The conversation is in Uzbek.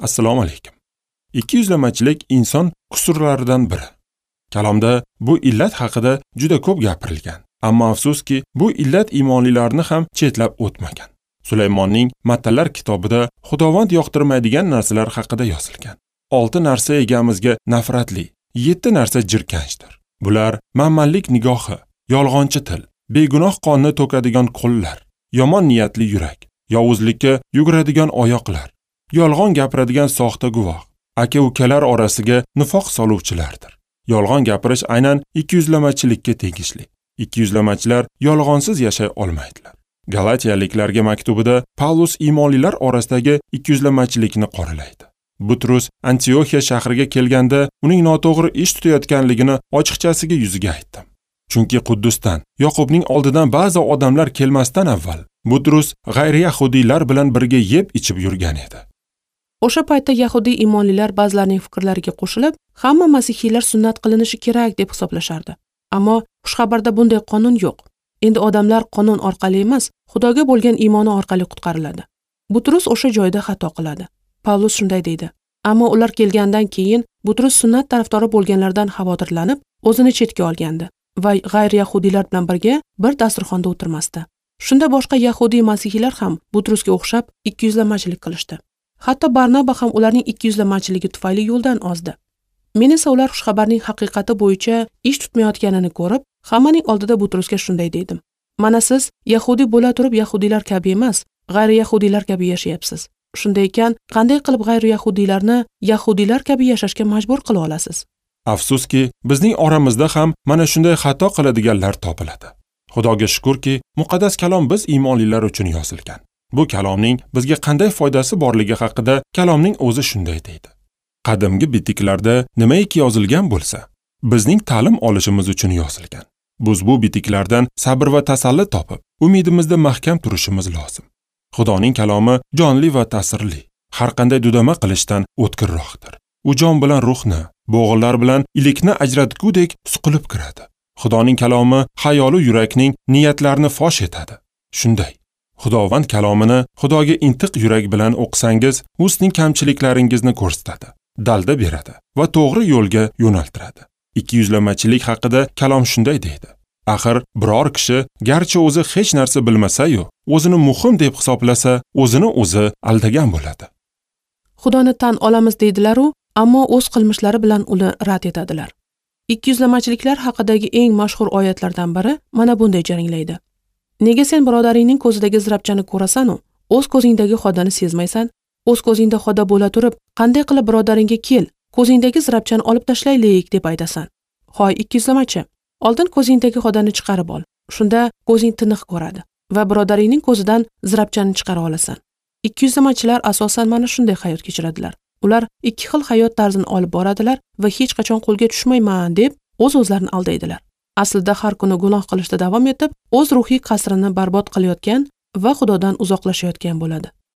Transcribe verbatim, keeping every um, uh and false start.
Assalomu alaykum. Ikkiyuzlamachilik inson kusurlaridan biri. Kalomda bu illat haqida juda ko'p gapirilgan. Ammo afsuski, bu illat iymonlilarni ham chetlab o'tmagan. Sulaymonning Matallar kitobida Xudovand yoqtirmaydigan narsalar haqida yozilgan. Olti narsa egamizga nafratli, yetti narsa jirkanchdir. Bular manmanlik nigohi, yolg'onchi til, begunoh qonni to'kadigan qo'llar, yomon niyatli yurak, yovuzlikka yuguradigan oyoqlar, yolg'on gapiradigan soxta guvoh, aka-ukalar orasiga nifoq soluvchilardir. Yolg'on gapirish aynan ikkiyuzlamachilikka tegishli. Ikkiyuzlamachilar yolg'onsiz yashay olmaydilar. Galatiyaliklarga maktubida Pavlus iymonlilar orasidagi ikkiyuzlamachilikni qoralaydi. Butrus Antioxiya shahriga kelganda uning noto'g'ri ish tutayotganligini ochiqchasiga yuziga aytdim. Chunki Quddusdan, Yoqubning oldidan ba'zi odamlar kelmasdan avval Butrus g'ayri-yahudiylar bilan birga yeb ichib yurgan edi. O'sha paytda yahudiy iymonlilar ba'zilarining fikrlariga qo'shilib, hamma masihiylar sunnat qilinishi kerak deb hisoblashardi. Ammo xushxabarda bunday qonun yo'q. Endi odamlar qonun orqali emas, Xudoga bo'lgan iymoni orqali qutqariladi. Butrus o'sha joyda xato qiladi. Pavlus shunday deydi: Ammo ular kelgandan keyin Butrus sunnat tarafdori bo'lganlardan xavotirlanib, o'zini chetga olgandi va g'ayri-yahudiylar bilan birga bir dasturxonda o'tirmasdi. Shunda boshqa yahudiy masihiylar ham Butrusga o'xshab ikkiyuzlamachilik qilishdi. Hatto Barnaba ham ularning ikkiyuzlamachiligi tufayli yo'ldan ozdi. Men esa ular xushxabarning haqiqati bo'yicha ish tutmayotganini ko'rib, hammaning oldida Butrusga shunday dedim: Mana siz yahudiy bo'la turib yahudiylar kabi emas, g'ayri-yahudiylar kabi yashayapsiz. Shunday ekan, qanday qilib g'ayri-yahudiylarni yahudiylar kabi yashashga majbur qila olasiz? Afsuski, bizning oramizda ham mana shunday xato qiladiganlar topiladi. Xudoga shukurki, muqaddas kalom biz iymonlilar uchun yozilgan. Bu kalomning bizga qanday foydasi borligi haqida kalomning o'zi shunday deydi. Qadimgi bitiklarda nimaiki yozilgan bo'lsa, bizning ta'lim olishimiz uchun yozilgan. Biz bu bitiklardan sabr va tasalli topib, umidimizda mahkam turishimiz lozim. Xudoning kalomi jonli va ta'sirli, har qanday dudama qilishdan o'tkirroqdir. U jon bilan ruhni, bo'g'inlar bilan ilikni ajratgudek suqilib kiradi. Xudoning kalomi xayolu yurakning niyatlarini fosh etadi. Shunday, Xudovand kalomini Xudoga intiq yurak bilan o'qisangiz, u sizning kamchiliklaringizni ko'rsatadi, dalda beradi va to'g'ri yo'lga yo'naltiradi. Ikkiyuzlamachilik haqida kalom shunday deydi: Axir biror kishi garchi o'zi hech narsa bilmasa-yu, o'zini muhim deb hisoblasa, o'zini o'zi aldagan bo'ladi. Xudoni tan olamiz deydilar-u, ammo o'z qilmishlari bilan uni rad etadilar. Ikkiyuzlamachiliklar haqidagi eng mashhur oyatlardan biri mana bunday jaranglaydi: Nega sen birodaringning ko'zidagi zirapchani ko'rasan-u, o'z ko'zingdagi xodani sezmaysan? O'z ko'zingda xoda bo'la turib, qanday qilib birodaringga kel, ko'zingdagi zirapchani olib tashlaylik deb aytasan? Hoy ikkiyuzlamachi, oldin ko'zingdagi xodani chiqarib ol. Shunda ko'zing tiniq ko'radi va birodaringning ko'zidan zirapchani chiqara olasan. Ikkiyuzlamachilar asosan mana shunday hayot kechiradilar. Ular ikki xil hayot tarzini olib boradilar va hech qachon qo'lga tushmayman deb o'z-o'zlarini aldaydilar. Aslida har kuni gunoh qilishda davom etib, o'z ruhiy qasrini barbod qilayotgan va Xudodan uzoqlashayotgan bo'ladi.